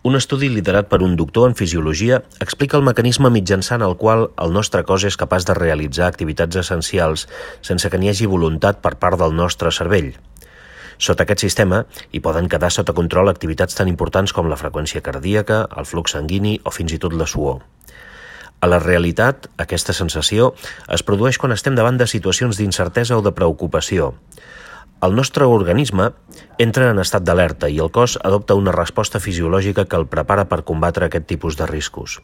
Un estudi liderat per un doctor en fisiologia explica el mecanisme mitjançant el qual el nostre cos és capaç de realitzar activitats essencials sense que n'hi hagi voluntat per part del nostre cervell. Sota aquest sistema hi poden quedar sota control activitats tan importants com la freqüència cardíaca, el flux sanguini o fins i tot la suor. A la realitat, aquesta sensació es produeix quan estem davant de situacions d'incertesa o de preocupació. El nostre organisme entra en estat d'alerta i el cos adopta una resposta fisiològica que el prepara per combatre aquest tipus de riscos.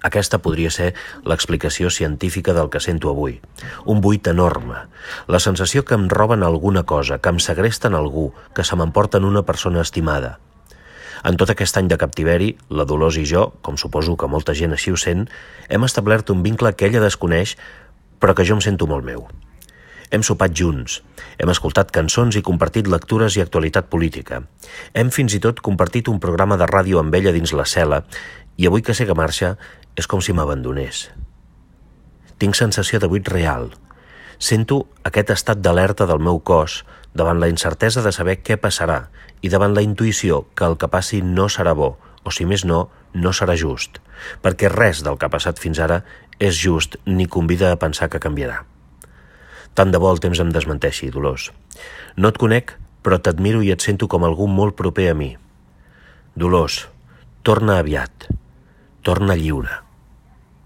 Aquesta podria ser l'explicació científica del que sento avui. Un buit enorme. La sensació que em roben alguna cosa, que em segresten algú, que se m'emporten una persona estimada. En tot aquest any de captiveri, la Dolors i jo, com suposo que molta gent així ho sent, hem establert un vincle que ella desconeix, però que jo em sento molt meu. Hem sopat junts, hem escoltat cançons i compartit lectures i actualitat política. Hem fins i tot compartit un programa de ràdio amb ella dins la cel·la i avui que sé que marxa és com si m'abandonés. Tinc sensació de buit real. Sento aquest estat d'alerta del meu cos davant la incertesa de saber què passarà i davant la intuïció que el que passi no serà bo, o si més no, no serà just, perquè res del que ha passat fins ara és just ni convida a pensar que canviarà. Tant de bo el temps em desmenteixi, Dolors. No et conec, però t'admiro i et sento com algú molt proper a mi. Dolors, torna aviat. Torna lliure.